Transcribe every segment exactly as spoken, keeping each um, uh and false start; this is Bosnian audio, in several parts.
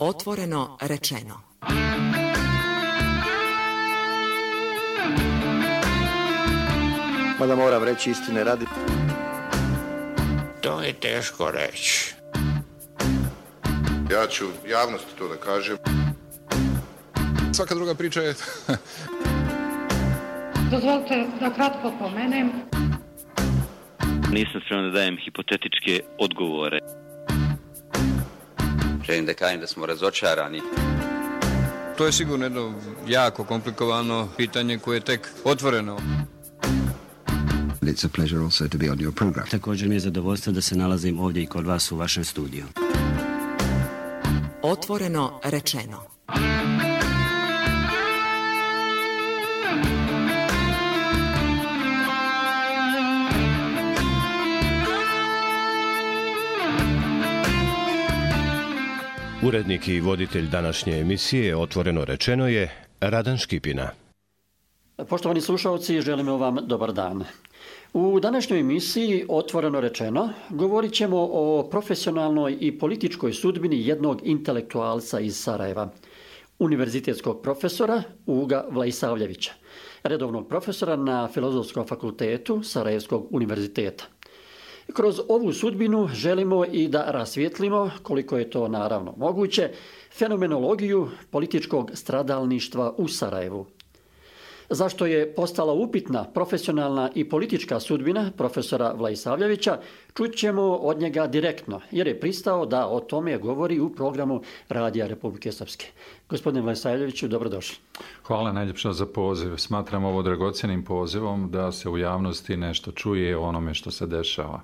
Otvoreno rečeno. Mada moram reći istine radi. To je teško reći. Ja ću javnosti to da kažem. Svaka druga priča je... Dozvolite da kratko pomenem. Nisam spreman da dajem hipotetičke odgovore. Želim da kažem da smo razočarani. To je sigurno jedno jako komplikovano pitanje koje je tek otvoreno. It's a pleasure also to be on your program. Također mi je zadovoljstvo da se nalazim ovdje i kod vas u vašem studiju. Otvoreno rečeno. Urednik i voditelj današnje emisije Otvoreno rečeno je Radan Škipina. Poštovani slušalci, želimo vam dobar dan. U današnjoj emisiji Otvoreno rečeno govorit ćemo o profesionalnoj i političkoj sudbini jednog intelektualca iz Sarajeva, univerzitetskog profesora Uga Vlaisavljevića, redovnog profesora na Filozofskom fakultetu Sarajevskog univerziteta. Kroz ovu sudbinu želimo i da rasvijetlimo, koliko je to naravno moguće, fenomenologiju političkog stradalništva u Sarajevu. Zašto je postala upitna profesionalna i politička sudbina profesora Vlaisavljevića, čućemo od njega direktno, jer je pristao da o tome govori u programu Radija Republike Srpske. Gospodine Vlaisavljeviću, dobrodošli. Hvala najljepša za poziv. Smatram ovo dragocjenim pozivom da se u javnosti nešto čuje o onome što se dešava.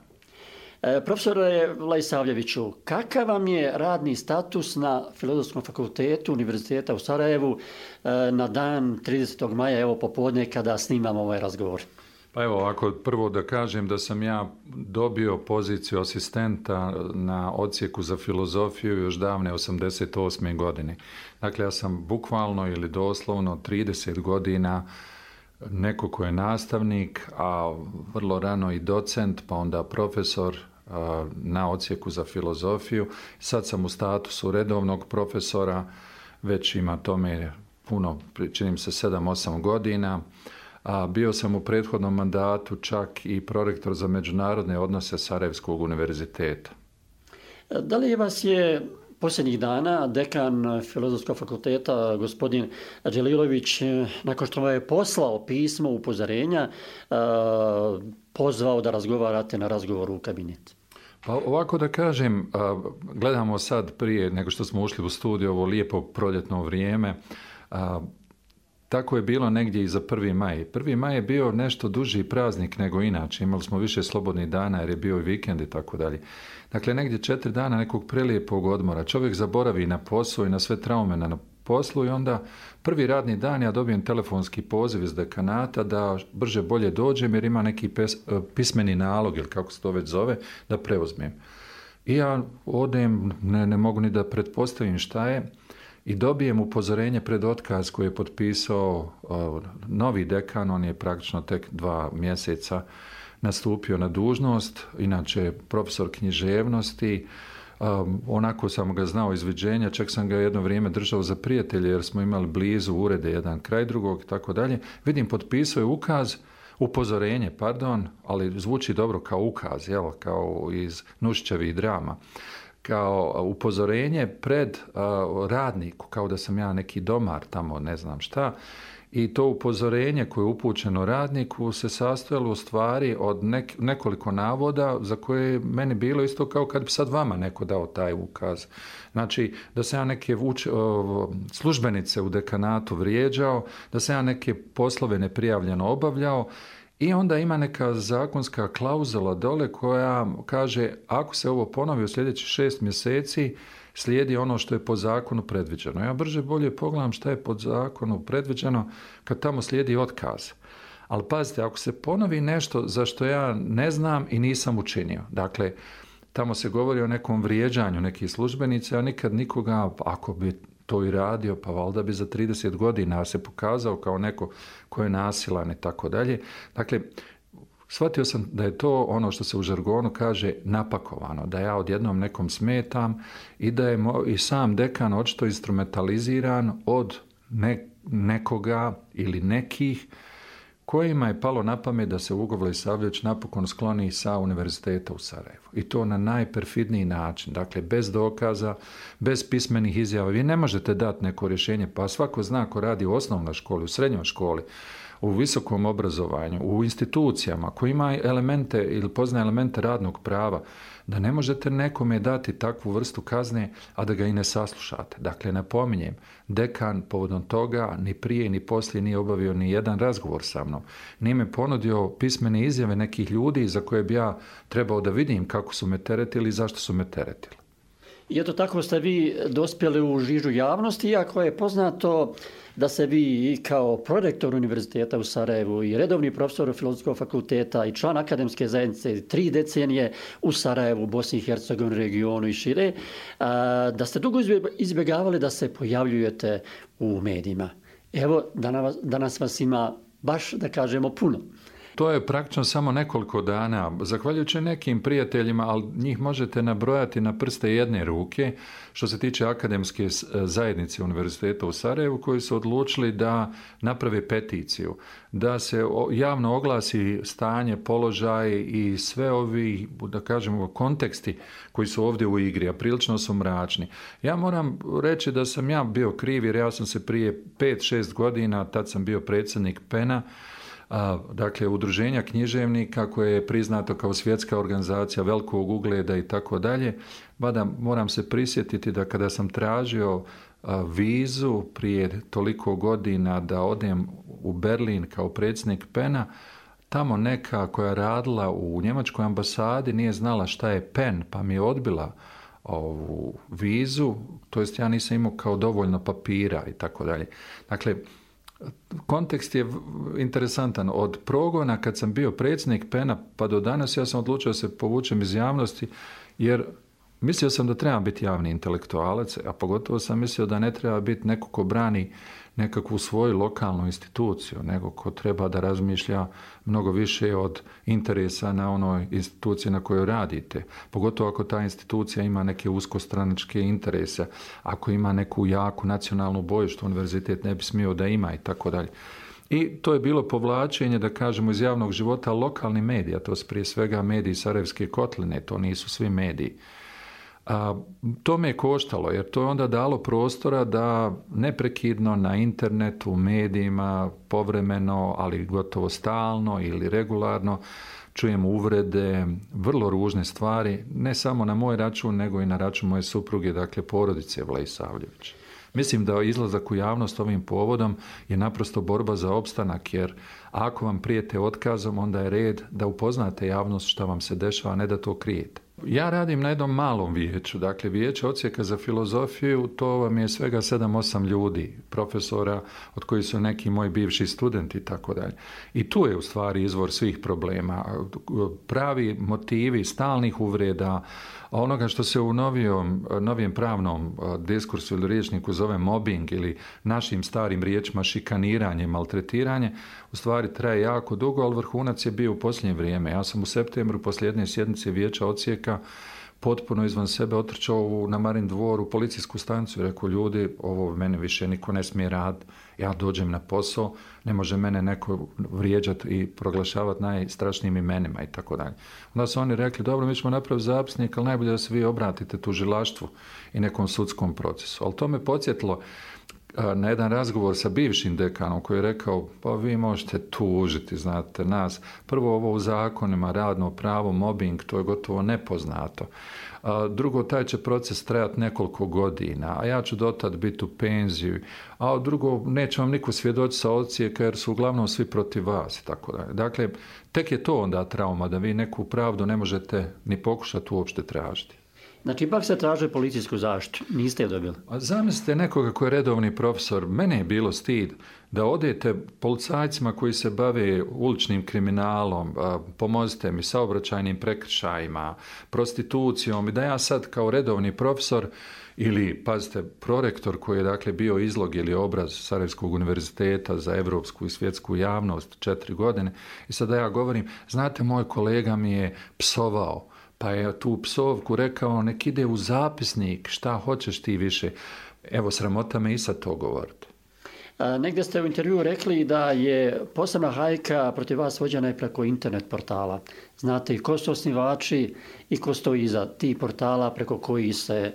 E, profesore Vlaisavljeviću, kakav vam je radni status na Filozofskom fakultetu Univerziteta u Sarajevu e, na dan tridesetog maja, evo popodne, kada snimamo ovaj razgovor? Pa evo, ako prvo da kažem da sam ja dobio poziciju asistenta na odsjeku za filozofiju još davne osamdeset osme godine. Dakle, ja sam bukvalno ili doslovno trideset godina neko ko je nastavnik, a vrlo rano i docent, pa onda profesor na odsjeku za filozofiju. Sad sam u statusu redovnog profesora, već ima tome puno, činim se sedam osam godina. A bio sam u prethodnom mandatu čak i prorektor za međunarodne odnose Sarajevskog univerziteta. Da li vas je posljednjih dana dekan Filozofskog fakulteta, gospodin Đelilović, nakon što vam je poslao pismo upozorenja, pozvao da razgovarate na razgovoru u kabinet? Pa ovako da kažem, gledamo sad prije nego što smo ušli u studiju ovo lijepo proljetno vrijeme. Tako je bilo negdje i za prvi maj. prvi maj je bio nešto duži praznik nego inače. Imali smo više slobodnih dana jer je bio i vikend i tako dalje. Dakle, negdje četiri dana nekog prelijepog odmora. Čovjek zaboravi na posao i na sve traume na poslu i onda prvi radni dan ja dobijem telefonski poziv iz dekanata da brže bolje dođem jer ima neki pes, pismeni nalog ili kako se to već zove da preuzmem. I ja odem, ne, ne mogu ni da pretpostavim šta je. I dobijem upozorenje pred otkaz koji je potpisao uh, novi dekan, on je praktično tek dva mjeseca nastupio na dužnost, inače profesor književnosti, um, onako sam ga znao iz viđenja, čak sam ga jedno vrijeme držao za prijatelje jer smo imali blizu urede jedan kraj drugog i tako dalje. Vidim, potpisao je ukaz, upozorenje, pardon, ali zvuči dobro kao ukaz, jel, kao iz Nušićevih drama. Kao upozorenje pred uh, radniku, kao da sam ja neki domar tamo, ne znam šta. I to upozorenje koje je upućeno radniku se sastojalo u stvari od nek- nekoliko navoda za koje je meni bilo isto kao kad bi sad vama neko dao taj ukaz. Znači, da se ja neke vuč, uh, službenice u dekanatu vrijeđao, da se ja neke poslove neprijavljeno obavljao. I onda ima neka zakonska klauzula dole koja kaže ako se ovo ponovi u sljedećih šest mjeseci slijedi ono što je po zakonu predviđeno. Ja brže bolje pogledam šta je po zakonu predviđeno kad tamo slijedi otkaz. Ali pazite, ako se ponovi nešto za što ja ne znam i nisam učinio, dakle, tamo se govori o nekom vrijeđanju nekih službenica, a nikad nikoga, ako bi to i radio, pa valjda bi za trideset godina se pokazao kao neko ko je nasilan i tako dalje. Dakle, shvatio sam da je to ono što se u žargonu kaže napakovano, da ja odjednom nekom smetam i da je mo- i sam dekan očito instrumentaliziran od ne- nekoga ili nekih kojima je palo na pamet da se Ugo Vlisavljević napokon skloni sa univerziteta u Sarajevu. I to na najperfidniji način, dakle bez dokaza, bez pismenih izjava. Vi ne možete dati neko rješenje, pa svako zna ko radi u osnovnoj školi, u srednjoj školi, u visokom obrazovanju, u institucijama koji ima elemente ili poznaje elemente radnog prava, da ne možete nekome dati takvu vrstu kazne, a da ga i ne saslušate. Dakle, napominjem, dekan povodom toga ni prije ni poslije nije obavio ni jedan razgovor sa mnom. Nije me ponudio pismene izjave nekih ljudi za koje bi ja trebao da vidim kako su me teretili i zašto su me teretili. I eto tako ste vi dospjeli u žižu javnosti, iako je poznato da se vi kao prorektor univerziteta u Sarajevu i redovni profesor Filozofskog fakulteta i član akademske zajednice tri decenije u Sarajevu, Bosni i Hercegovini, regionu i šire, da ste dugo izbjegavali da se pojavljujete u medijima. Evo, danas, danas vas ima baš, da kažemo, puno. To je praktično samo nekoliko dana, zahvaljujući nekim prijateljima, ali njih možete nabrojati na prste jedne ruke, što se tiče akademske zajednice Univerziteta u Sarajevu, koji su odlučili da naprave peticiju, da se javno oglasi stanje, položaj i sve ovi, da kažemo, konteksti koji su ovdje u igri, a prilično su mračni. Ja moram reći da sam ja bio kriv, jer ja sam se prije pet šest godina, tad sam bio predsjednik pena, A, dakle, udruženja književnika koje je priznato kao svjetska organizacija velikog ugleda i tako dalje, mada moram se prisjetiti da kada sam tražio a, vizu prije toliko godina da odem u Berlin kao predsjednik pena, tamo neka koja je radila u njemačkoj ambasadi nije znala šta je pen, pa mi je odbila ovu vizu, to jest ja nisam imao kao dovoljno papira i tako dalje. Dakle, kontekst je interesantan. Od progona kad sam bio predsjednik pena pa do danas ja sam odlučio da se povučem iz javnosti, jer mislio sam da trebam biti javni intelektualac, a pogotovo sam mislio da ne treba biti neko ko brani nekakvu svoju lokalnu instituciju, nego ko treba da razmišlja mnogo više od interesa na onoj instituciji na kojoj radite. Pogotovo ako ta institucija ima neke uskostranačke interese, ako ima neku jaku nacionalnu boju, što univerzitet ne bi smio da ima i tako dalje. I to je bilo povlačenje, da kažemo, iz javnog života lokalnih medija, to su prije svega mediji Sarajevske kotline, to nisu svi mediji. A, to me je koštalo, jer to je onda dalo prostora da neprekidno na internetu, u medijima, povremeno, ali gotovo stalno ili regularno, čujem uvrede, vrlo ružne stvari, ne samo na moj račun, nego i na račun moje supruge, dakle porodice Vlisavljević. Mislim da izlazak u javnost ovim povodom je naprosto borba za opstanak, jer ako vam prijete otkazom, onda je red da upoznate javnost šta vam se dešava, a ne da to krijete. Ja radim na jednom malom vijeću, dakle vijeće odsjeka za filozofiju, to vam je svega sedam osam ljudi, profesora, od kojih su neki moji bivši studenti i tako dalje. I tu je u stvari izvor svih problema, pravi motivi stalnih uvreda, onoga što se u novijom, novijem pravnom diskursu ili riječniku zove mobbing ili našim starim riječima šikaniranje, maltretiranje, u stvari traje jako dugo, ali vrhunac je bio u posljednje vrijeme. Ja sam u septembru poslije jedne sjednice vijeća odsjeka potpuno izvan sebe otrčao na Marin dvor u policijsku stanicu i rekao, ljudi, ovo mene više niko ne smije raditi, ja dođem na posao, ne može mene neko vrijeđati i proglašavati najstrašnijim imenima i tako dalje. Onda su oni rekli, dobro, mi ćemo napraviti zapisnik, ali najbolje da se vi obratite tužilaštvu i nekom sudskom procesu. Ali to me podsjetilo na jedan razgovor sa bivšim dekanom koji je rekao, pa vi možete tužiti, znate, nas. Prvo, ovo u zakonima, radno pravo, mobbing, to je gotovo nepoznato. A drugo, taj će proces trajati nekoliko godina, a ja ću dotad biti u penziji. A drugo, neće vam niko svjedoći sa odsjeka jer su uglavnom svi protiv vas i tako dalje. Dakle, tek je to onda trauma, da vi neku pravdu ne možete ni pokušati uopšte tražiti. Znači, ipak se traže policijsku zaštitu. Niste je dobili. A zamislite nekoga koji je redovni profesor. Mene je bilo stid da odete policajcima koji se bave uličnim kriminalom, pomozite mi, saobraćajnim prekršajima, prostitucijom i da ja sad kao redovni profesor ili, pazite, prorektor koji je dakle bio izlog ili obraz Sarajevskog univerziteta za evropsku i svjetsku javnost četiri godine i sada ja govorim, znate, moj kolega mi je psovao, pa je tu psovku rekao, nek ide u zapisnik, šta hoćeš ti više. Evo, sramota me i sad to govoriti. A, negdje ste u intervju rekli da je posebna hajka protiv vas vođena i preko internet portala. Znate i ko su osnivači i ko stoji iza tih portala preko koji se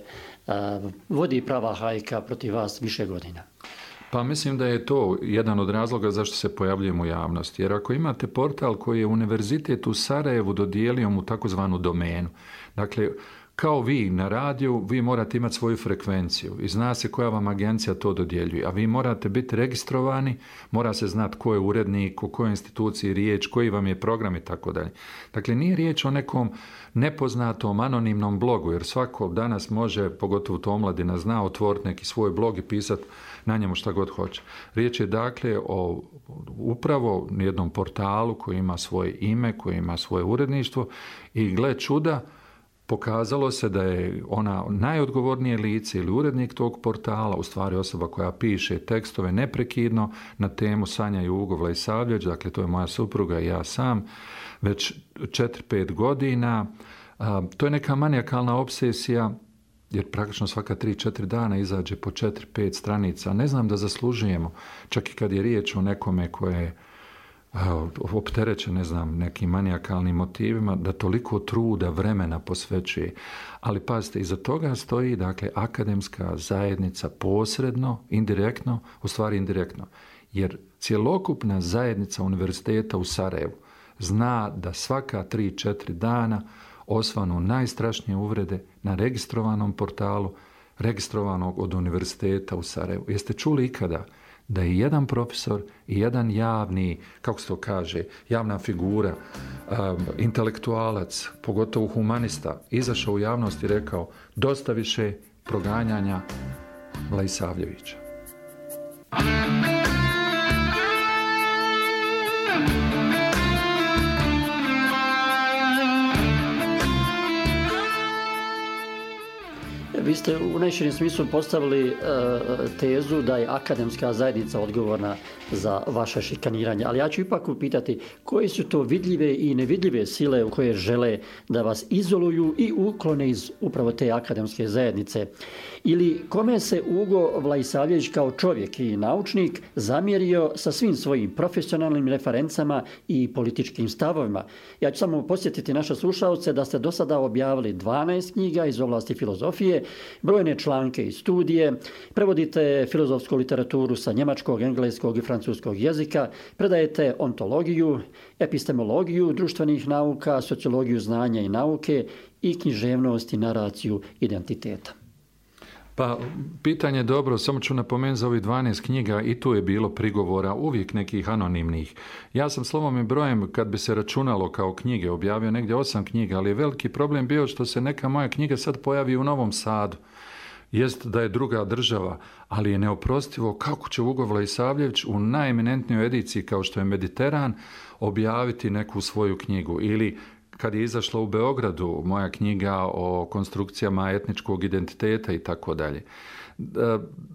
a, vodi prava hajka protiv vas više godina. Pa mislim da je to jedan od razloga zašto se pojavljujemo u javnosti. Jer ako imate portal koji je Univerzitet u Sarajevu dodijelio mu takozvanu domenu, dakle, kao vi na radiju, vi morate imati svoju frekvenciju i zna se koja vam agencija to dodjeljuje, a vi morate biti registrovani, mora se znati ko je urednik, u kojoj instituciji riječ, koji vam je program i tako dalje. Dakle, nije riječ o nekom nepoznatom anonimnom blogu, jer svako danas može, pogotovo to omladina zna, otvoriti neki svoj blog i pisati na njemu šta god hoće. Riječ je dakle o upravo jednom portalu koji ima svoje ime, koji ima svoje uredništvo i gle čuda, pokazalo se da je ona najodgovornije lice ili urednik tog portala, u stvari osoba koja piše tekstove neprekidno na temu Sanja Jugo Vlaisavljeć, dakle to je moja supruga i ja sam, već četiri pet godina. A, to je neka manijakalna obsesija, jer praktično svaka tri četiri dana izađe po četiri pet stranica. Ne znam da zaslužujemo, čak i kad je riječ o nekome koje je opterećen, ne znam, nekim manijakalnim motivima, da toliko truda, vremena posvećuje. Ali pazite, iza toga stoji, dakle, akademska zajednica posredno, indirektno, u stvari indirektno. Jer cjelokupna zajednica univerziteta u Sarajevu zna da svaka tri četiri dana osvanu najstrašnije uvrede na registrovanom portalu, registrovanog od univerziteta u Sarajevu. Jeste čuli ikada da je jedan profesor i jedan javni, kako se to kaže, javna figura, um, intelektualac, pogotovo humanista, izašao u javnost i rekao dosta više proganjanja Vlaisavljevića. Vi ste u najširem smislu postavili e, tezu da je akademska zajednica odgovorna za vaše šikaniranje, ali ja ću ipak upitati koje su to vidljive i nevidljive sile koje žele da vas izoluju i uklone iz upravo te akademske zajednice. Ili kome se Ugo Vlaisavljević kao čovjek i naučnik zamjerio sa svim svojim profesionalnim referencama i političkim stavovima. Ja ću samo posjetiti naše slušalce da ste do sada objavili dvanaest knjiga iz oblasti filozofije, brojne članke i studije, prevodite filozofsku literaturu sa njemačkog, engleskog i francuskog jezika, predajete ontologiju, epistemologiju društvenih nauka, sociologiju znanja i nauke i književnost i naraciju identiteta. Pa, pitanje je dobro, samo ću napomenuti za ovih dvanaest knjiga i tu je bilo prigovora, uvijek nekih anonimnih. Ja sam slovom i brojem, kad bi se računalo kao knjige, objavio negdje osam knjiga, ali je veliki problem bio što se neka moja knjiga sad pojavi u Novom Sadu. Jest da je druga država, ali je neoprostivo kako će Ugo Vlaisavljević u najeminentnijoj ediciji kao što je Mediteran objaviti neku svoju knjigu ili kad je izašla u Beogradu moja knjiga o konstrukcijama etničkog identiteta i tako dalje.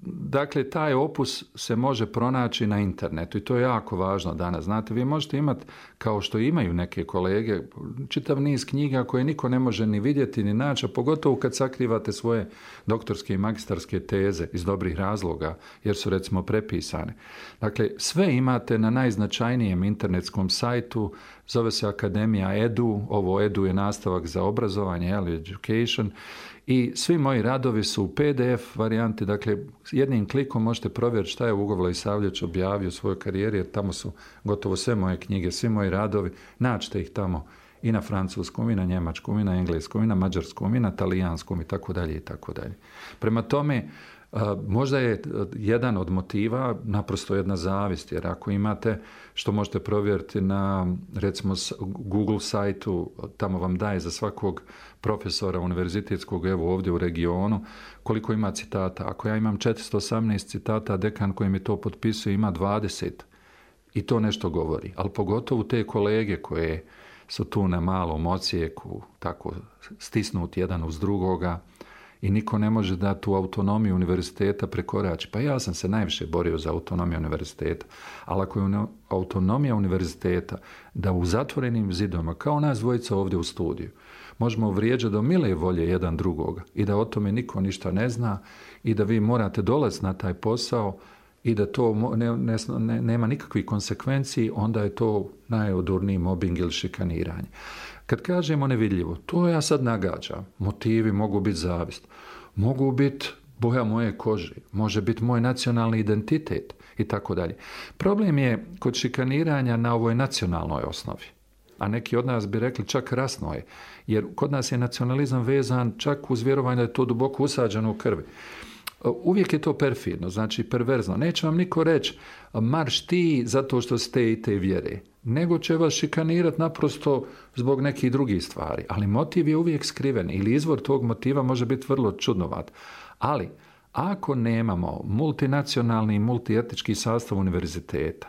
Dakle, taj opus se može pronaći na internetu i to je jako važno danas. Znate, vi možete imati, kao što imaju neke kolege, čitav niz knjiga koje niko ne može ni vidjeti ni naći, a pogotovo kad sakrivate svoje doktorske i magistarske teze iz dobrih razloga, jer su recimo prepisane. Dakle, sve imate na najznačajnijem internetskom sajtu, zove se Akademija Edu, ovo Edu je nastavak za obrazovanje, education, i svi moji radovi su u P D F varijanti, dakle jednim klikom možete provjeriti šta je Ugo Vlaisavljević objavio u svojoj karijeri, jer tamo su gotovo sve moje knjige, svi moji radovi, nađete ih tamo i na francuskom, i na njemačkom, i na engleskom, i na mađarskom, i na talijanskom i tako dalje i tako dalje. Prema tome, Možda je jedan od motiva naprosto jedna zavist, jer ako imate, što možete provjeriti na recimo Google sajtu, tamo vam daje za svakog profesora univerzitetskog, evo ovdje u regionu, koliko ima citata. Ako ja imam četiristo osamnaest citata, dekan koji mi to potpisuje ima dvadeset i to nešto govori. Ali pogotovo te kolege koje su tu na malom ocijeku, tako stisnuti jedan uz drugoga, i niko ne može da tu autonomiju univerziteta prekorači. Pa ja sam se najviše borio za autonomiju univerziteta, ali ako je autonomija univerziteta da u zatvorenim zidovima, kao nas dvojica ovdje u studiju, možemo vrijeđati do mile volje jedan drugoga i da o tome niko ništa ne zna i da vi morate dolaziti na taj posao i da to ne, ne, ne, nema nikakvih konsekvenciji, onda je to najodurniji mobbing ili šikaniranje. Kad kažemo nevidljivo, to ja sad nagađam. Motivi mogu biti zavist, mogu biti boja moje kože, može biti moj nacionalni identitet i tako dalje. Problem je kod šikaniranja na ovoj nacionalnoj osnovi. A neki od nas bi rekli čak rasno je, jer kod nas je nacionalizam vezan čak uz vjerovanje da je to duboko usađeno u krvi. Uvijek je to perfidno, znači perverzno. Neće vam niko reći marš ti zato što ste i te vjere, nego će vas šikanirati naprosto zbog nekih drugih stvari. Ali motiv je uvijek skriven ili izvor tog motiva može biti vrlo čudnovat. Ali ako nemamo multinacionalni i multietnički sastav univerziteta,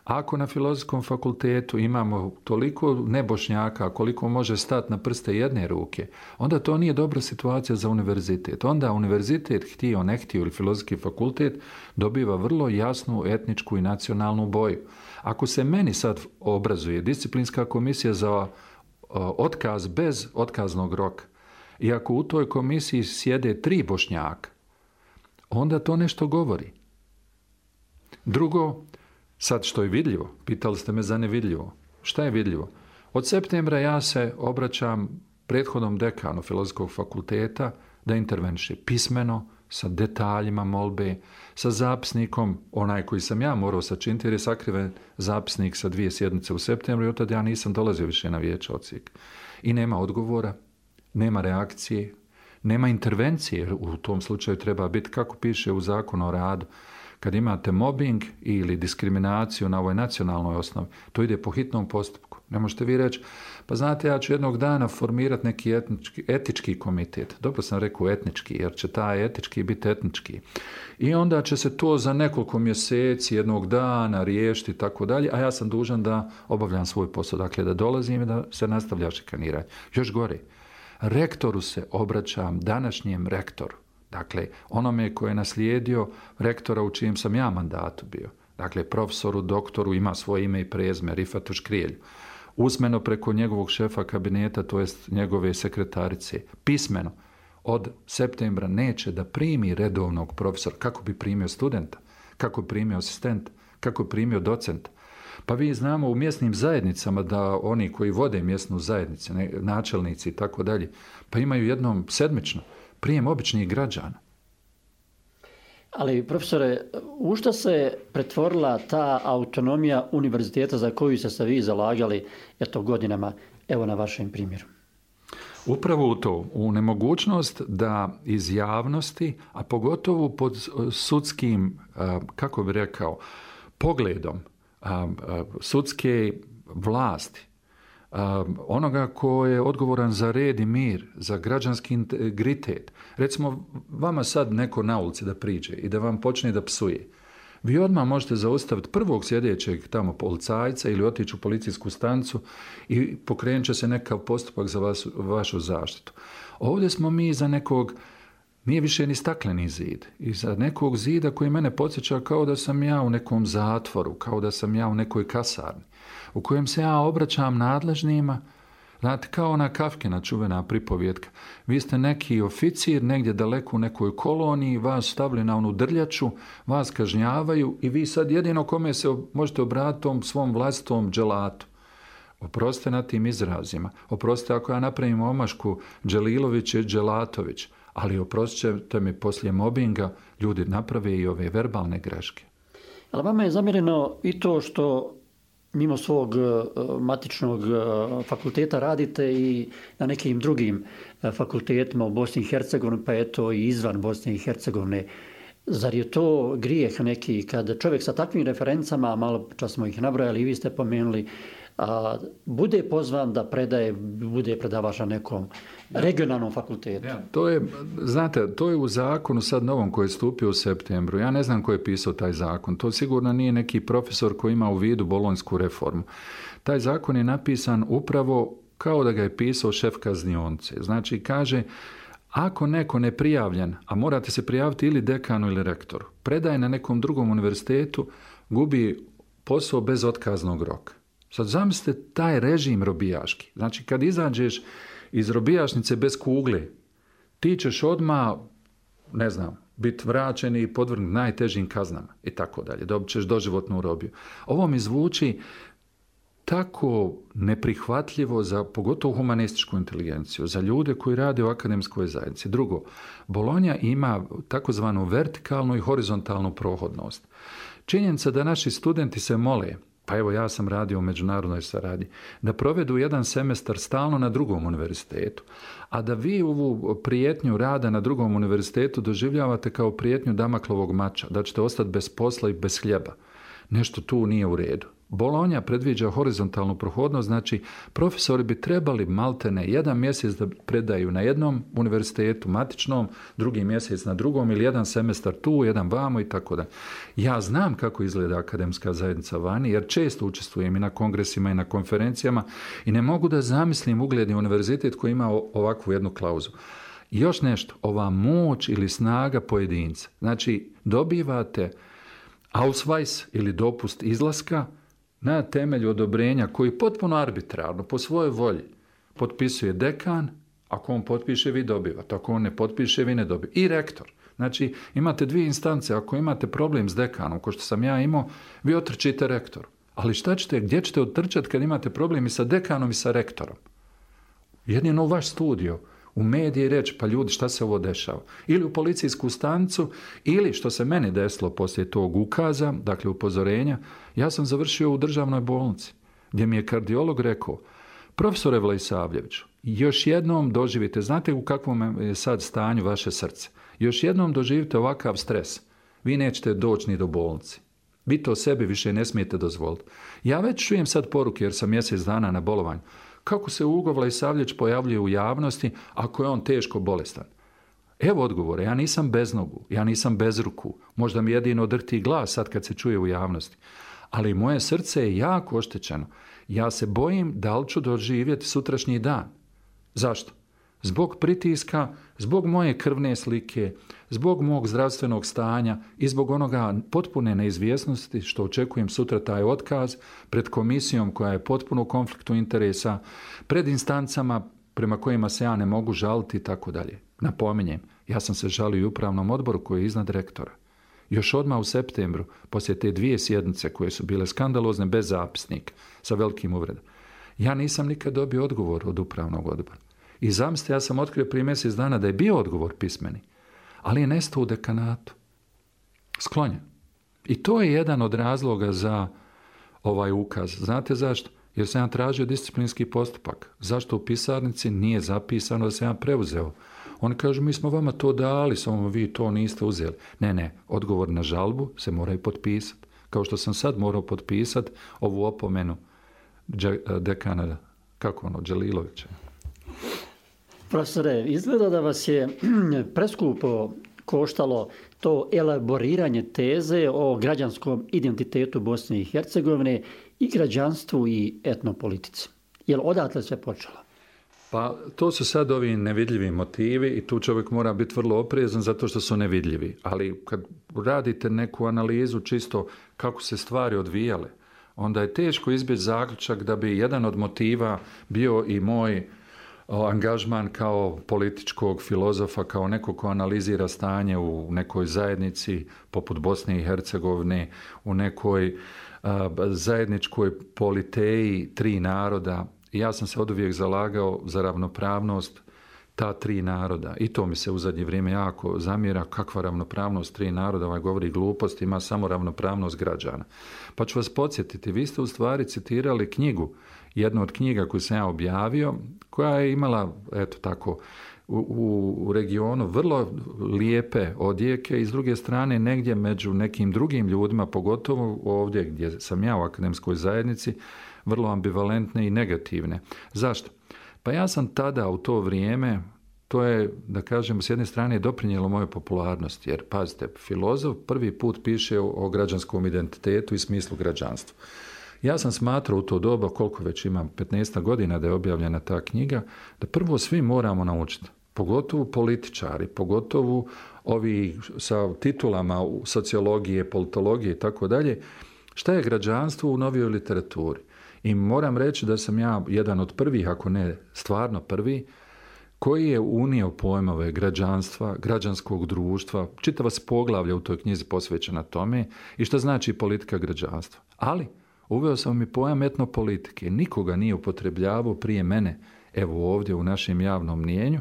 ako na Filozofskom fakultetu imamo toliko nebošnjaka koliko može stati na prste jedne ruke, onda to nije dobra situacija za univerzitet. Onda univerzitet, htio, ne htio ili Filozofski fakultet, dobiva vrlo jasnu etničku i nacionalnu boju. Ako se meni sad obrazuje disciplinska komisija za otkaz bez otkaznog roka i ako u toj komisiji sjede tri Bošnjaka, onda to nešto govori. Drugo, sad što je vidljivo, pitali ste me za nevidljivo. Šta je vidljivo? Od septembra ja se obraćam prethodnom dekanu Filozofskog fakulteta da interveniše pismeno, sa detaljima molbe, sa zapisnikom, onaj koji sam ja morao sačiniti jer je sakriven zapisnik sa dvije sjednice u septembru i od tada ja nisam dolazio više na vijeće odsjek. I nema odgovora, nema reakcije, nema intervencije, u tom slučaju treba biti kako piše u Zakonu o radu. Kad imate mobbing ili diskriminaciju na ovoj nacionalnoj osnovi, to ide po hitnom postupku. Ne možete vi reći, pa znate, ja ću jednog dana formirati neki etnički, etički komitet. Dobro sam rekao etnički, jer će taj etički biti etnički. I onda će se to za nekoliko mjeseci, jednog dana riješiti i tako dalje, a ja sam dužan da obavljam svoj posao. Dakle, da dolazim i da se nastavlja šikaniranje. Još gore, rektoru se obraćam, današnjem rektoru. Dakle, onome koji je naslijedio rektora u čijem sam ja mandatu bio. Dakle, profesoru, doktoru, ima svoje ime i prezime, Rifatu Škrijelju. Usmeno preko njegovog šefa kabineta, to jest njegove sekretarice. Pismeno, od septembra neće da primi redovnog profesora. Kako bi primio studenta? Kako bi primio asistenta? Kako bi primio docenta? Pa vi znamo u mjesnim zajednicama da oni koji vode mjesnu zajednicu, načelnici i tako dalje, pa imaju jednom sedmično prijem običnih građana. Ali, profesore, u što se pretvorila ta autonomija univerziteta za koju ste se vi zalagali eto godinama, evo na vašem primjeru? Upravo u to, u nemogućnost da iz javnosti, a pogotovo pod sudskim, kako bi rekao, pogledom sudske vlasti, onoga ko je odgovoran za red i mir, za građanski integritet. Recimo, vama sad neko na ulici da priđe i da vam počne da psuje. Vi odmah možete zaustaviti prvog sjedećeg tamo policajca ili otići u policijsku stanicu i pokrenut će se nekakav postupak za vas, vašu zaštitu. Ovdje smo mi za nekog, nije više ni stakleni zid, i za nekog zida koji mene podsjeća kao da sam ja u nekom zatvoru, kao da sam ja u nekoj kasarni, u kojem se ja obraćam nadležnima, znate, kao ona Kafkina čuvena pripovjetka. Vi ste neki oficir negdje daleko u nekoj koloniji, vas stavili na onu drljaču, vas kažnjavaju i vi sad jedino kome se možete obratiti tom svom vlastitom dželatu. Oprostite na tim izrazima. Oprostite ako ja napravim omašku Dželilović i Dželatović, ali oprostite mi poslije mobinga ljudi naprave i ove verbalne greške. Ali vama je zamjereno i to što mimo svog matičnog fakulteta radite i na nekim drugim fakultetima u Bosni i Hercegovini, pa eto i izvan Bosne i Hercegovine. Zar je to grijeh neki kad čovjek sa takvim referencama, malo čas smo ih nabrojali i vi ste pomenuli, a, bude pozvan da predaje, bude predavač na nekom regionalnom fakultetu? Ja, to je, znate, to je u zakonu sad novom koji je stupio u septembru. Ja ne znam ko je pisao taj zakon. To sigurno nije neki profesor koji ima u vidu bolonjsku reformu. Taj zakon je napisan upravo kao da ga je pisao šef kaznionice. Znači, kaže, ako neko ne prijavljen, a morate se prijaviti ili dekanu ili rektoru, predaje na nekom drugom univerzitetu, gubi posao bez otkaznog roka. Sad zamislite taj režim robijaški. Znači, kad izađeš iz robijašnice bez kugle, ti ćeš odmah, ne znam, biti vraćen i podvrgnut najtežim kaznama i tako dalje. Dobit ćeš doživotnu robiju. Ovo mi zvuči tako neprihvatljivo za pogotovo humanističku inteligenciju, za ljude koji rade u akademskoj zajednici. Drugo, Bolonja ima takozvanu vertikalnu i horizontalnu prohodnost. Činjenica da naši studenti se mole, pa evo ja sam radio u međunarodnoj saradnji, da provedu jedan semestar stalno na drugom univerzitetu, a da vi ovu prijetnju rada na drugom univerzitetu doživljavate kao prijetnju Damaklovog mača, da ćete ostati bez posla i bez hljeba. Nešto tu nije u redu. Bolonja predviđa horizontalnu prohodnost, znači profesori bi trebali maltene jedan mjesec da predaju na jednom univerzitetu matičnom, drugi mjesec na drugom ili jedan semestar tu, jedan vamo i tako da. Ja znam kako izgleda akademska zajednica vani jer često učestvujem i na kongresima i na konferencijama i ne mogu da zamislim ugledni univerzitet koji ima ovakvu jednu klauzu. I još nešto, ova moć ili snaga pojedinca. Znači dobivate ausweis ili dopust izlaska na temelju odobrenja koji potpuno arbitrarno, po svojoj volji, potpisuje dekan, ako on potpiše, vi dobivate, ako on ne potpiše, vi ne dobivate. I rektor. Znači, imate dvije instance, ako imate problem s dekanom, ko što sam ja imao, vi otrčite rektoru. Ali šta ćete, gdje ćete otrčati kad imate problem i sa dekanom i sa rektorom? Jedino u vaš studio, u mediji reći, pa ljudi, šta se ovo dešava? Ili u policijsku stanicu, ili što se meni desilo poslije tog ukaza, dakle upozorenja, ja sam završio u državnoj bolnici, gdje mi je kardiolog rekao, profesore Vlaisavljeviću, još jednom doživite, znate u kakvom je sad stanju vaše srce, još jednom doživite ovakav stres, vi nećete doći ni do bolnice. Vi to sebi više ne smijete dozvoliti. Ja već čujem sad poruke, jer sam mjesec dana na bolovanju, kako se Ugo Vlaisavljević pojavljuje u javnosti ako je on teško bolestan. Evo odgovore, ja nisam bez nogu, ja nisam bez ruku, možda mi jedino drti glas sad kad se čuje u javnosti, ali moje srce je jako oštećeno. Ja se bojim da li ću doživjeti sutrašnji dan. Zašto? Zbog pritiska, zbog moje krvne slike, zbog mog zdravstvenog stanja i zbog onoga potpune neizvjesnosti što očekujem sutra taj otkaz pred komisijom koja je potpuno u konfliktu interesa, pred instancama prema kojima se ja ne mogu žaliti i tako dalje. Napominjem, ja sam se žalio i upravnom odboru koji je iznad rektora. Još odmah u septembru, poslije te dvije sjednice koje su bile skandalozne bez zapisnika, sa velikim uvredom, ja nisam nikad dobio odgovor od upravnog odbora. I zamislite, ja sam otkrio prije mjesec dana da je bio odgovor pismeni, ali je nestao u dekanatu. Sklonjen. I to je jedan od razloga za ovaj ukaz. Znate zašto? Jer sam ja tražio disciplinski postupak. Zašto u pisarnici nije zapisano da sam ja preuzeo? Oni kažu, mi smo vama to dali, samo vi to niste uzeli. Ne, ne, odgovor na žalbu se moraju potpisati. Kao što sam sad morao potpisati ovu opomenu dekana, kako ono, Đelilovića. Profesore, izgleda da vas je preskupo koštalo to elaboriranje teze o građanskom identitetu Bosne i Hercegovine i građanstvu i etnopolitici. Je li odatle sve počelo? Pa to su sad ovi nevidljivi motivi i tu čovjek mora biti vrlo oprezan zato što su nevidljivi. Ali kad radite neku analizu čisto kako se stvari odvijale, onda je teško izbjeći zaključak da bi jedan od motiva bio i moj angažman kao političkog filozofa, kao neko ko analizira stanje u nekoj zajednici poput Bosne i Hercegovine, u nekoj a, zajedničkoj politeji tri naroda. Ja sam se oduvijek zalagao za ravnopravnost ta tri naroda. I to mi se u zadnje vrijeme jako zamjera, kakva ravnopravnost tri naroda, ovaj govori glupost, ima samo ravnopravnost građana. Pa ću vas podsjetiti, vi ste u stvari citirali knjigu, jednu od knjiga koju sam ja objavio, koja je imala, eto tako, u, u regionu vrlo lijepe odjeke i s druge strane negdje među nekim drugim ljudima, pogotovo ovdje gdje sam ja u akademskoj zajednici, vrlo ambivalentne i negativne. Zašto? Pa ja sam tada u to vrijeme, to je, da kažem, s jedne strane doprinijelo moje popularnosti, jer, pazite, filozof prvi put piše o, o građanskom identitetu i smislu građanstva. Ja sam smatrao u to doba, koliko već imam, petnaest godina da je objavljena ta knjiga, da prvo svi moramo naučiti, pogotovo političari, pogotovo ovi sa titulama sociologije, politologije i tako dalje, šta je građanstvo u novijoj literaturi. I moram reći da sam ja jedan od prvih, ako ne stvarno prvi, koji je unio pojmove građanstva, građanskog društva, čitava se poglavlja u toj knjizi posvećena tome i šta znači politika građanstva. Ali uveo sam i pojam etnopolitike. Nikoga nije upotrebljavao prije mene, evo ovdje u našem javnom mnijenju,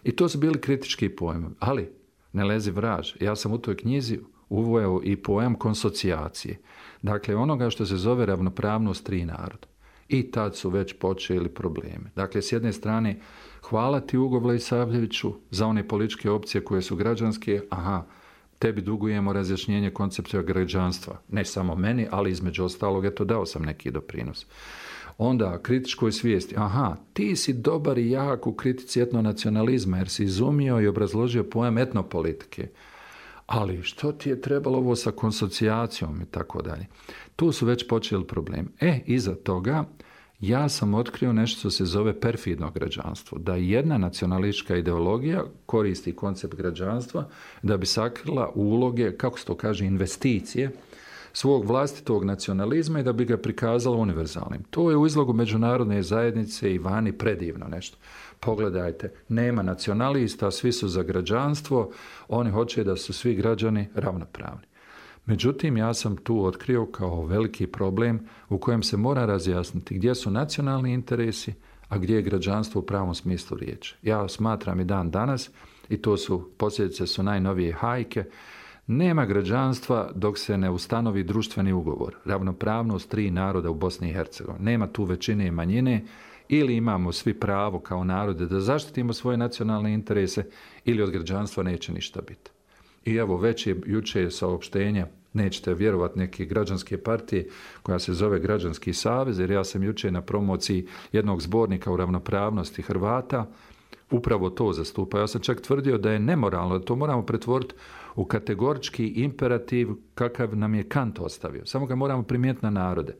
i to su bili kritički pojmovi. Ali, ne lezi vraž, ja sam u toj knjizi uveo i pojam konsocijacije. Dakle, onoga što se zove ravnopravnost tri naroda. I tad su već počeli probleme. Dakle, s jedne strane, hvala ti Ugo Vlasavljeviću za one političke opcije koje su građanske. Aha, tebi dugujemo razjašnjenje koncepta građanstva. Ne samo meni, ali između ostalog, eto, dao sam neki doprinos. Onda, kritičkoj svijesti. Aha, ti si dobar i jak u kritici etnonacionalizma, jer si izumio i obrazložio pojam etnopolitike. Ali što ti je trebalo ovo sa konsocijacijom i tako dalje. Tu su već počeli problemi. E, iza toga ja sam otkrio nešto što se zove perfidno građanstvo. Da jedna nacionalistička ideologija koristi koncept građanstva da bi sakrila uloge, kako se to kaže, investicije svog vlastitog nacionalizma i da bi ga prikazala univerzalnim. To je u izlogu međunarodne zajednice i vani predivno nešto. Pogledajte, nema nacionalista, svi su za građanstvo, oni hoće da su svi građani ravnopravni. Međutim, ja sam tu otkrio kao veliki problem u kojem se mora razjasniti gdje su nacionalni interesi, a gdje je građanstvo u pravom smislu riječi. Ja smatram i dan danas, i to su posljedice su najnovije hajke, nema građanstva dok se ne ustanovi društveni ugovor, ravnopravnost tri naroda u Bosni i Hercegovini. Nema tu većine i manjine, ili imamo svi pravo kao narode da zaštitimo svoje nacionalne interese, ili od građanstva neće ništa biti. I evo, već je jučer saopštenja, nećete vjerovati, neke građanske partije koja se zove Građanski savez, jer ja sam jučer na promociji jednog zbornika u ravnopravnosti Hrvata upravo to zastupa. Ja sam čak tvrdio da je nemoralno, da to moramo pretvoriti u kategorički imperativ kakav nam je Kant ostavio. Samo ga moramo primijeniti na narode.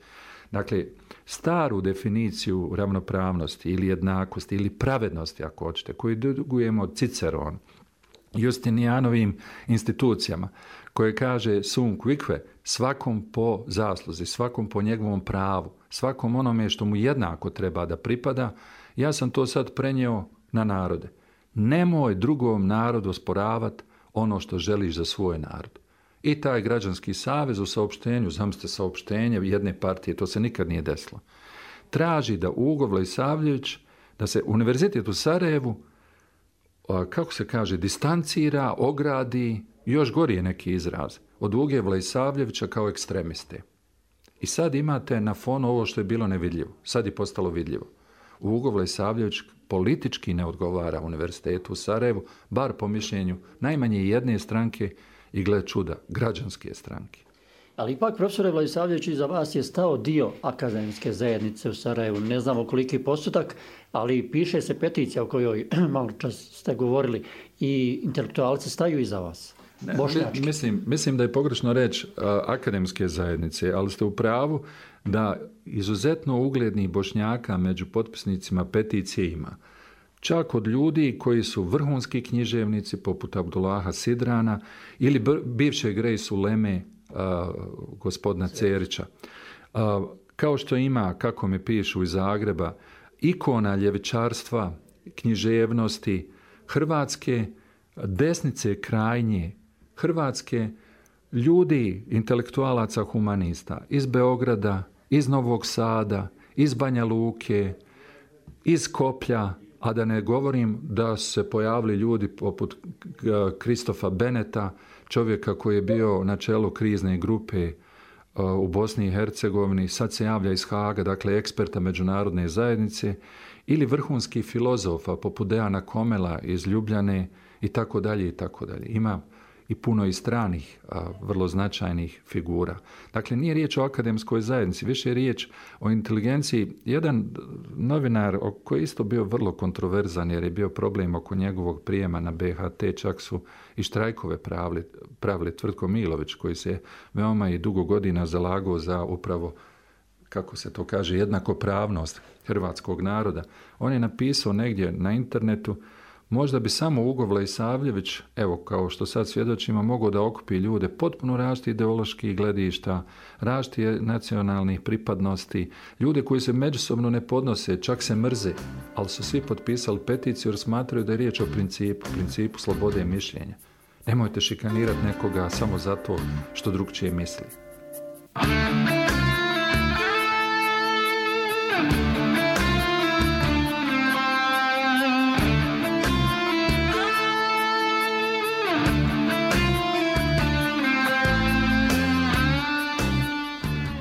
Dakle, staru definiciju ravnopravnosti ili jednakosti ili pravednosti, ako hoćete, koju dugujemo Ciceronu, Justinijanovim institucijama, koje kaže sum quicque, svakom po zasluzi, svakom po njegovom pravu, svakom onome što mu jednako treba da pripada, ja sam to sad prenio na narode. Nemoj drugom narodu osporavati ono što želiš za svoj narod. I taj Građanski savez u saopštenju, zamislite saopštenje jedne partije, to se nikad nije desilo, traži da Ugo Vlasavljević, da se Univerzitet u Sarajevu, kako se kaže, distancira, ogradi, još gori je neki izraz, od Uge Vlasavljevića kao ekstremiste. I sad imate na fonu ovo što je bilo nevidljivo. Sad je postalo vidljivo. Ugo Vlasavljević politički ne odgovara Univerzitetu u Sarajevu, bar po mišljenju najmanje jedne stranke i, gle čuda, građanske stranke. Ali ipak, profesore Vlasavljević, iza vas je stao dio akademske zajednice u Sarajevu. Ne znamo koliki postotak, ali piše se peticija o kojoj malo čas ste govorili i intelektualci staju iza vas. Ne, mislim, mislim da je pogrešno reći uh, akademske zajednice, ali ste u pravu da izuzetno uglednih Bošnjaka među potpisnicima peticije ima. Čak od ljudi koji su vrhunski književnici poput Abdullaha Sidrana ili b- bivšeg Grace Uleme, uh, gospodina Cerića. Uh, kao što ima, kako mi pišu iz Zagreba, ikona ljevičarstva, književnosti, hrvatske desnice krajnje, hrvatske ljudi, intelektualaca, humanista, iz Beograda, iz Novog Sada, iz Banja Luke, iz Skoplja, a da ne govorim da su se pojavili ljudi poput Kristofa Beneta, čovjeka koji je bio na čelu krizne grupe u Bosni i Hercegovini, sad se javlja iz Haaga, dakle eksperta međunarodne zajednice, ili vrhunskih filozofa poput Dejana Komela iz Ljubljane i tako dalje i tako dalje. Ima i puno i stranih, a, vrlo značajnih figura. Dakle, nije riječ o akademskoj zajednici, više je riječ o inteligenciji. Jedan novinar koji je isto bio vrlo kontroverzan jer je bio problem oko njegovog prijema na B H T, čak su i štrajkove pravili, pravili Tvrtko Milović, koji se veoma i dugo godina zalagao za upravo, kako se to kaže, jednakopravnost hrvatskog naroda. On je napisao negdje na internetu: možda bi samo Ugo Vlejsavljević, evo kao što sad svjedočimo, mogao da okupi ljude potpuno različitih ideoloških gledišta, različitih nacionalnih pripadnosti, ljude koji se međusobno ne podnose, čak se mrze, ali su svi potpisali peticiju jer smatraju da je riječ o principu, principu slobode mišljenja. Nemojte šikanirati nekoga samo zato što drugčije misli.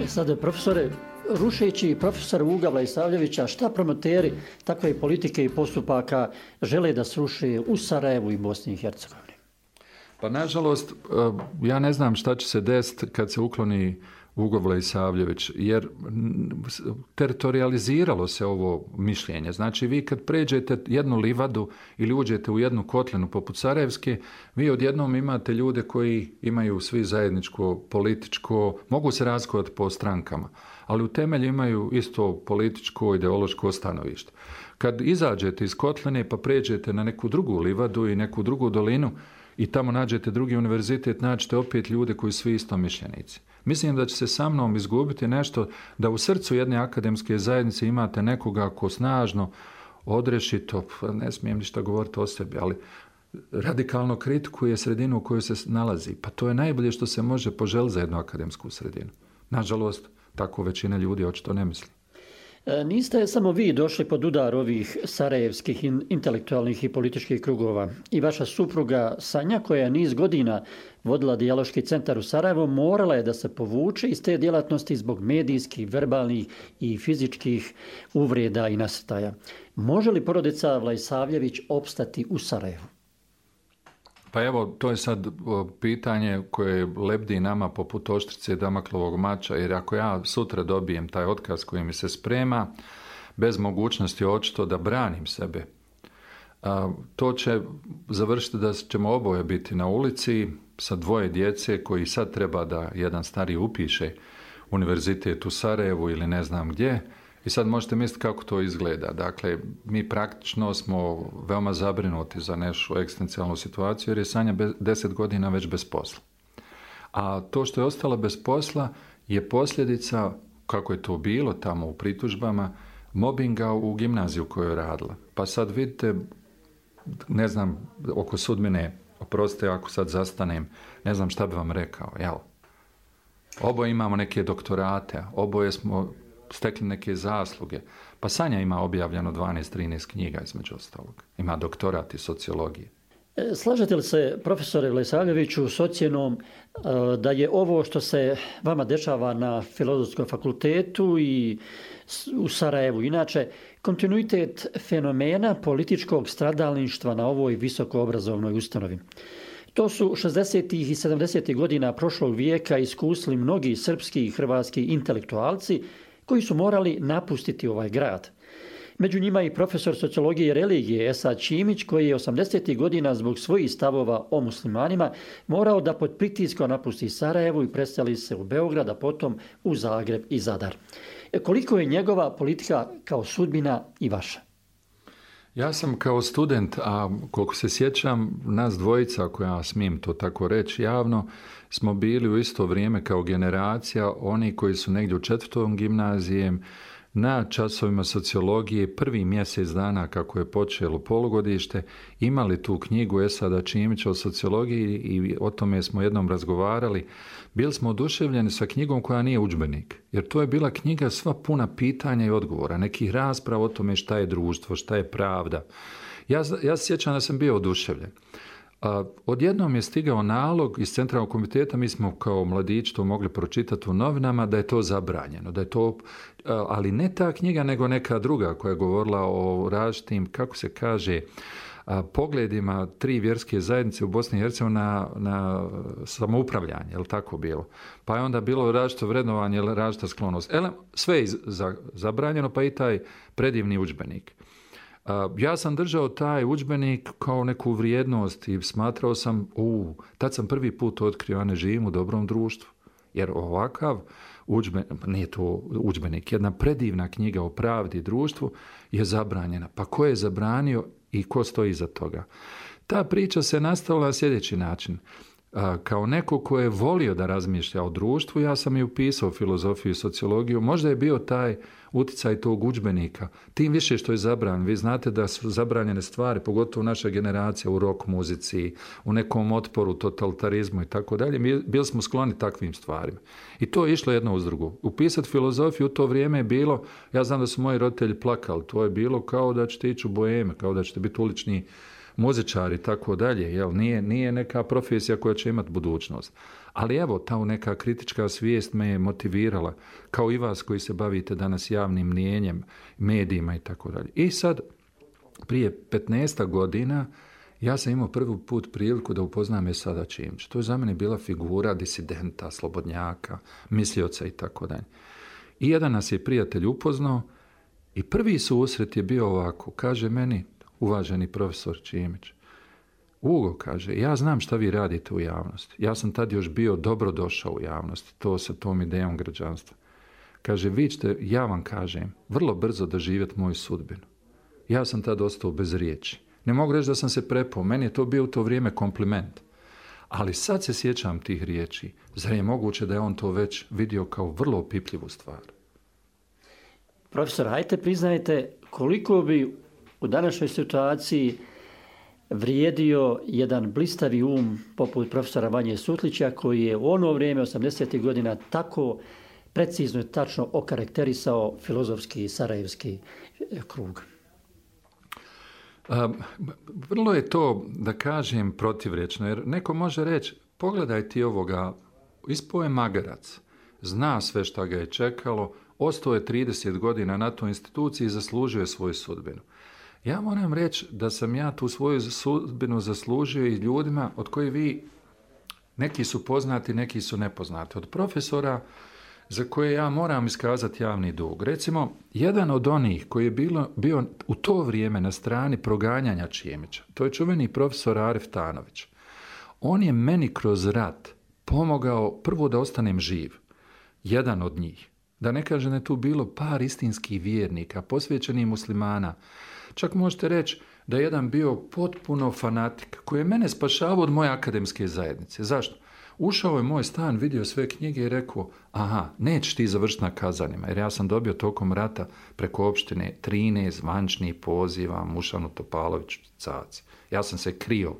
Sad, profesore, rušeći profesora Uga Vlejsavljevića, šta promoteri takve politike i postupaka žele da sruše u Sarajevu i Bosni i Hercegovini? Pa, nažalost, ja ne znam šta će se desiti kad se ukloni Ugo Vlejsavljević, jer teritorializiralo se ovo mišljenje. Znači, vi kad pređete jednu livadu ili uđete u jednu kotlinu poput Sarajevske, vi odjednom imate ljude koji imaju svi zajedničko političko, mogu se razlikovati po strankama, ali u temelju imaju isto političko, ideološko stanovište. Kad izađete iz kotline pa pređete na neku drugu livadu i neku drugu dolinu i tamo nađete drugi univerzitet, nađete opet ljude koji su svi istomišljenici. Mislim da će se sa mnom izgubiti nešto da u srcu jedne akademske zajednice imate nekoga ko snažno, odrešito, ne smijem ništa govoriti o sebi, ali radikalno kritikuje sredinu u kojoj se nalazi. Pa to je najbolje što se može poželiti za jednu akademsku sredinu. Nažalost, tako većina ljudi očito ne misli. Niste samo vi došli pod udar ovih sarajevskih intelektualnih i političkih krugova. I vaša supruga Sanja, koja je niz godina vodila dijaloški centar u Sarajevu, morala je da se povuče iz te djelatnosti zbog medijskih, verbalnih i fizičkih uvreda i nasrtaja. Može li porodica Vlejsavljević opstati u Sarajevu? Pa evo, to je sad pitanje koje lebdi nama poput oštrice Damaklovog mača, jer ako ja sutra dobijem taj otkaz koji mi se sprema, bez mogućnosti očito da branim sebe, to će završiti da ćemo oboje biti na ulici sa dvoje djece koji sad treba da jedan stari upiše univerzitet u Sarajevu ili ne znam gdje. I sad možete misliti kako to izgleda. Dakle, mi praktično smo veoma zabrinuti za našu egzistencijalnu situaciju jer je Sanja deset godina već bez posla. A to što je ostala bez posla je posljedica, kako je to bilo tamo u pritužbama, mobinga u gimnaziju u kojoj je radila. Pa sad vidite, ne znam, oko sudbine, oprostite ako sad zastanem, ne znam šta bi vam rekao, jel? Oboje imamo neke doktorate, oboje smo stekli neke zasluge. Pa Sanja ima objavljeno dvanaest trinaest knjiga između ostalog. Ima doktorat iz sociologije. Slažete li se, profesore Vlejsavljeviću, s ocjenom da je ovo što se vama dešava na Filozofskom fakultetu i u Sarajevu inače kontinuitet fenomena političkog stradalništva na ovoj visokoobrazovnoj ustanovi? To su šezdesetih i sedamdesetih godina prošlog vijeka iskusili mnogi srpski i hrvatski intelektualci koji su morali napustiti ovaj grad. Među njima i profesor sociologije i religije Esad Čimić, koji je osamdesetih godina zbog svojih stavova o muslimanima morao da pod pritiskom napusti Sarajevo i preseli se u Beograd, a potom u Zagreb i Zadar. Koliko je njegova politika kao sudbina i vaša? Ja sam kao student, a koliko se sjećam, nas dvojica, ako ja smijem to tako reći javno, smo bili u isto vrijeme kao generacija, oni koji su negdje u četvrtom gimnazijem, na časovima sociologije, prvi mjesec dana kako je počelo polugodište, imali tu knjigu Esada Čimića o sociologiji i o tome smo jednom razgovarali. Bili smo oduševljeni sa knjigom koja nije udžbenik, jer to je bila knjiga sva puna pitanja i odgovora, nekih rasprava o tome šta je društvo, šta je pravda. Ja, ja se sjećam da sam bio oduševljen. A, odjednom je stigao nalog iz centralnog komiteta, mi smo kao mladići to mogli pročitati u novinama, da je to zabranjeno, da je to, ali ne ta knjiga, nego neka druga koja je govorila o različitim, kako se kaže, a, pogledima tri vjerske zajednice u Bosni i Hercegovini na, na samoupravljanje, je li tako bilo? Pa je onda bilo različito vrednovanje, različita sklonost. Ele, sve je za, zabranjeno, pa i taj predivni udžbenik. Ja sam držao taj udžbenik kao neku vrijednost i smatrao sam, u, tad sam prvi put otkrio, ja ne živim u dobrom društvu. Jer ovakav udžbenik, nije to udžbenik, jedna predivna knjiga o pravdi i društvu je zabranjena. Pa ko je zabranio i ko stoji iza toga? Ta priča se nastavila na sljedeći način. Kao neko ko je volio da razmišlja o društvu, ja sam i upisao filozofiju i sociologiju. Možda je bio taj uticaj tog udžbenika. Tim više što je zabranjen. Vi znate da su zabranjene stvari, pogotovo naša generacija u rock muzici, u nekom otporu, totalitarizmu i tako dalje. Mi bili smo skloni takvim stvarima. I to je išlo jedno uz drugo. Upisati filozofiju u to vrijeme je bilo, ja znam da su moji roditelji plakali, to je bilo kao da ćete ići u boheme, kao da ćete biti ulični muzičari i tako dalje, jel? Nije, nije neka profesija koja će imati budućnost. Ali evo, ta neka kritička svijest me je motivirala, kao i vas koji se bavite danas javnim mnijenjem, medijima i tako dalje. I sad, prije petnaest godina, ja sam imao prvi put priliku da upoznam Esada Čimića. To je za mene bila figura disidenta, slobodnjaka, mislioca i tako dalje. I jedan nas je prijatelj upoznao i prvi susret je bio ovako, kaže meni, uvaženi profesor Čimić, Ugo, kaže, ja znam šta vi radite u javnosti. Ja sam tad još bio dobro došao u javnosti, to sa tom idejom građanstva. Kaže, vi ćete, ja vam kažem, vrlo brzo doživjeti moju sudbinu. Ja sam tad ostao bez riječi. Ne mogu reći da sam se prepao, meni je to bio u to vrijeme kompliment. Ali sad se sjećam tih riječi. Zar je moguće da je on to već vidio kao vrlo opipljivu stvar? Profesor, hajte priznajte koliko bi u današnjoj situaciji vrijedio jedan blistavi um poput profesora Vanje Sutlića, koji je u ono vrijeme osamdesetih godina tako precizno i tačno okarakterisao filozofski sarajevski krug. A, vrlo je to, da kažem, protivrečno, jer neko može reći, pogledaj ti ovoga, ispao je magarac, zna sve šta ga je čekalo, ostao je trideset godina na toj instituciji i zaslužio je svoju sudbinu. Ja moram reći da sam ja tu svoju sudbinu zaslužio i ljudima od kojih vi, neki su poznati, neki su nepoznati. Od profesora za koje ja moram iskazati javni dug. Recimo, jedan od onih koji je bilo, bio u to vrijeme na strani proganjanja Čimića, to je čuveni profesor Arif Tanović. On je meni kroz rat pomogao prvo da ostanem živ. Jedan od njih. Da ne kažem da je tu bilo par istinskih vjernika, posvećenih muslimana. Čak možete reći da je jedan bio potpuno fanatik koji je mene spašavao od moje akademske zajednice. Zašto? Ušao je u moj stan, vidio sve knjige i rekao, aha, nećeš ti završiti na kazanima, jer ja sam dobio tokom rata preko opštine trinaest zvančnih poziva Mušanu Topaloviću Caci. Ja sam se krio,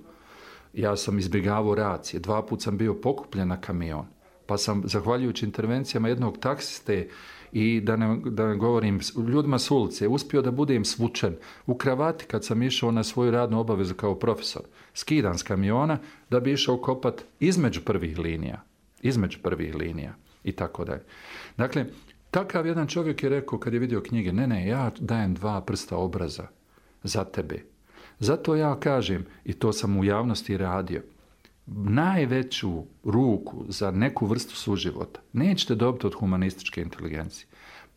ja sam izbjegavao racije, dva put sam bio pokupljen na kamion, pa sam, zahvaljujući intervencijama jednog taksiste i da ne, da ne govorim ljudima s ulice, uspio da budem svučen u kravati kad sam išao na svoju radnu obavezu kao profesor. Skidan s kamiona da bi išao kopat između prvih linija. Između prvih linija i tako dalje. Dakle, takav jedan čovjek je rekao kad je vidio knjige, ne, ne, ja dajem dva prsta obraza za tebe. Zato ja kažem, i to sam u javnosti radio, najveću ruku za neku vrstu suživota nećete dobiti od humanističke inteligencije.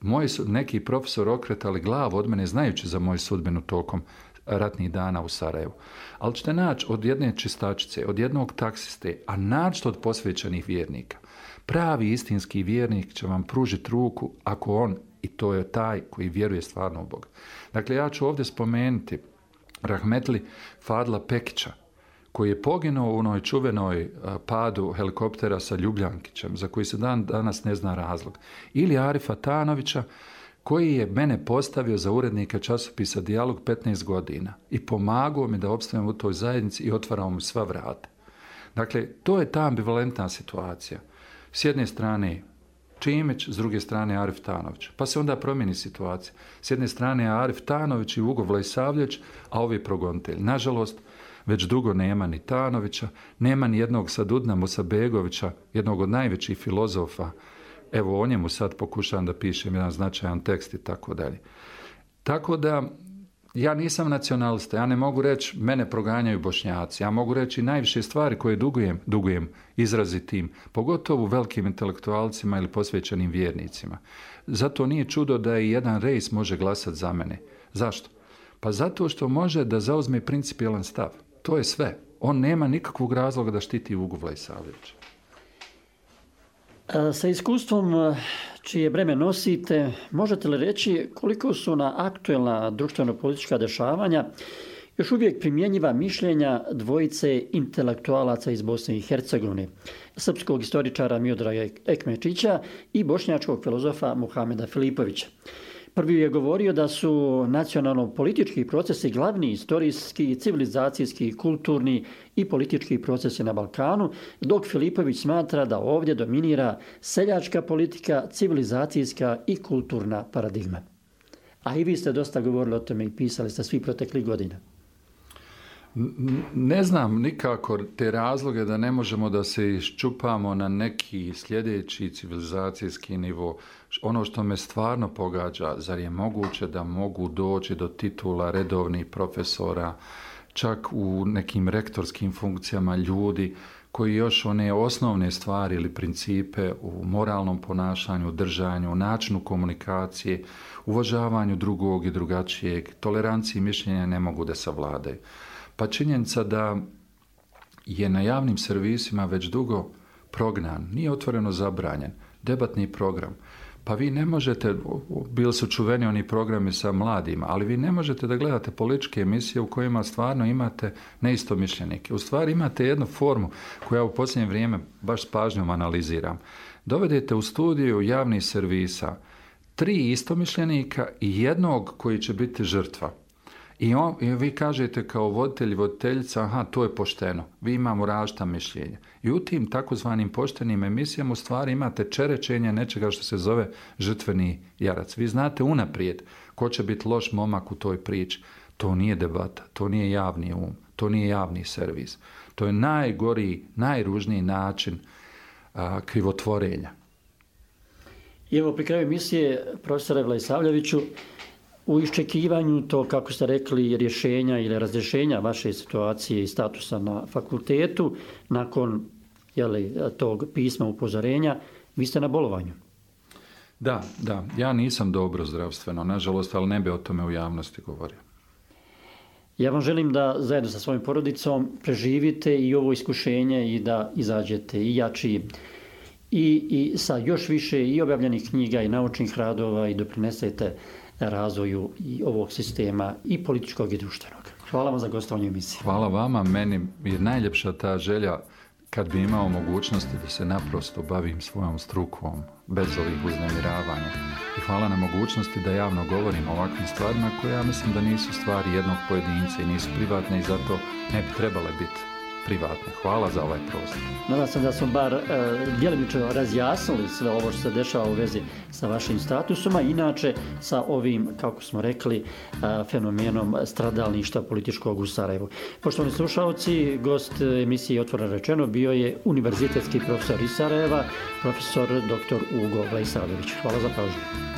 Moji su neki profesor okretali glavu od mene znajući za moju sudbinu tokom ratnih dana u Sarajevu. Ali ćete naći od jedne čistačice, od jednog taksiste, a naći od posvećenih vjernika. Pravi istinski vjernik će vam pružiti ruku ako on, i to je taj koji vjeruje stvarno u Boga. Dakle, ja ću ovdje spomenuti rahmetli Fadla Pekića, koji je poginuo u onoj čuvenoj padu helikoptera sa Ljubljankićem, za koji se dan danas ne zna razlog. Ili Arifa Tanovića, koji je mene postavio za urednika časopisa Dijalog petnaest godina i pomagao mi da opstavim u toj zajednici i otvarao mi sva vrata. Dakle, to je ta ambivalentna situacija. S jedne strane Čimić, s druge strane Arif Tanović. Pa se onda promijeni situacija. S jedne strane Arif Tanović i Ugo Vlajsavljević, a ovi progonitelj. Nažalost, već dugo nema ni Tanovića, nema ni jednog Sadudna Musabegovića, jednog od najvećih filozofa. Evo o njemu sad pokušavam da pišem jedan značajan tekst i tako dalje. Tako da ja nisam nacionalista, ja ne mogu reći mene proganjaju Bošnjaci, ja mogu reći najviše stvari koje dugujem, dugujem izrazitim, pogotovo velikim intelektualcima ili posvećenim vjernicima. Zato nije čudo da i jedan rejs može glasati za mene. Zašto? Pa zato što može da zauzme principijelan stav. To je sve. On nema nikakvog razloga da štiti Ugu Vlaisavljevića. Sa iskustvom čije breme nosite, možete li reći koliko su na aktuelna društveno-politička dešavanja još uvijek primjenjiva mišljenja dvojice intelektualaca iz Bosne i Hercegovine, srpskog istoričara Miodraga Ekmečića i bošnjačkog filozofa Muhameda Filipovića? Prvi je govorio da su nacionalno-politički procesi glavni istorijski, civilizacijski, kulturni i politički procesi na Balkanu, dok Filipović smatra da ovdje dominira seljačka politika, civilizacijska i kulturna paradigma. A i vi ste dosta govorili o tome i pisali ste svi proteklih godina. Ne znam nikako te razloge da ne možemo da se iščupamo na neki sljedeći civilizacijski nivo. Ono što me stvarno pogađa, zar je moguće da mogu doći do titula redovnih profesora, čak u nekim rektorskim funkcijama ljudi koji još one osnovne stvari ili principe u moralnom ponašanju, držanju, načinu komunikacije, uvažavanju drugog i drugačijeg, toleranciji mišljenja ne mogu da savladaju. Pa činjenica da je na javnim servisima već dugo prognan, nije otvoreno zabranjen, debatni program. Pa vi ne možete, bili su čuveni oni programi sa mladima, ali vi ne možete da gledate političke emisije u kojima stvarno imate neistomišljenike. U stvari imate jednu formu koju ja u posljednje vrijeme baš s pažnjom analiziram. Dovedete u studiju javnih servisa tri istomišljenika i jednog koji će biti žrtva. I, on, I vi kažete kao voditelj i voditeljica, aha, to je pošteno, vi imamo različita mišljenja. I u tim takozvanim poštenim emisijama u stvari imate čerečenje nečega što se zove žrtveni jarac. Vi znate unaprijed ko će biti loš momak u toj priči. To nije debata, to nije javni um, to nije javni servis. To je najgoriji, najružniji način a, krivotvorenja. I evo pri kraju emisije, profesore Vlaisavljeviću, u iščekivanju to, kako ste rekli, rješenja ili razrješenja vaše situacije i statusa na fakultetu, nakon jeli, tog pisma upozorenja, vi ste na bolovanju. Da, da. Ja nisam dobro zdravstveno, nažalost, ali ne bi o tome u javnosti govorio. Ja vam želim da zajedno sa svojim porodicom preživite i ovo iskušenje i da izađete i jači i, i sa još više i objavljenih knjiga i naučnih radova i doprinesete razvoju i ovog sistema i političkog i društvenog. Hvala vam za gostovanje u emisiji. Hvala vama. Meni je najljepša ta želja kad bi imao mogućnosti da se naprosto bavim svojom strukom bez ovih uznemiravanja. I hvala na mogućnosti da javno govorim o ovakvim stvarima koje ja mislim da nisu stvari jednog pojedinca i nisu privatne i zato ne bi trebale biti privatne. Hvala za ovaj prostor. Nadam se da smo bar e, djelimično razjasnili sve ovo što se dešava u vezi sa vašim statusom, a inače sa ovim, kako smo rekli, e, fenomenom stradalništva političkog u Sarajevu. Poštovani slušalci, gost emisije Otvoreno rečeno bio je univerzitetski profesor iz Sarajeva, profesor doktor Ugo Vlaisavljević. Hvala za pažnju.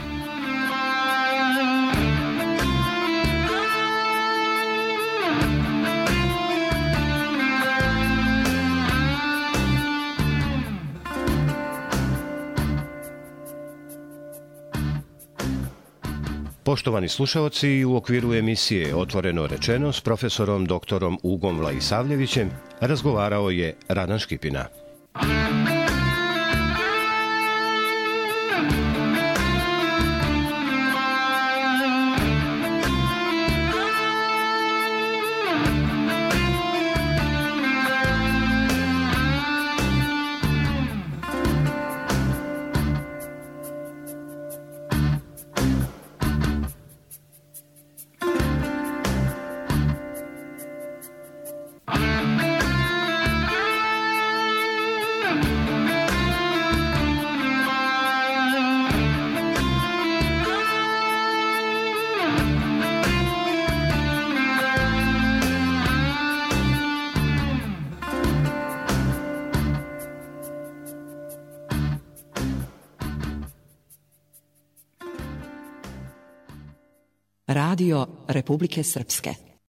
Poštovani slušaoci, u okviru emisije Otvoreno rečeno s profesorom doktorom Ugom Vlaisavljevićem razgovarao je Radan Škipina. Radio Republike Srpske.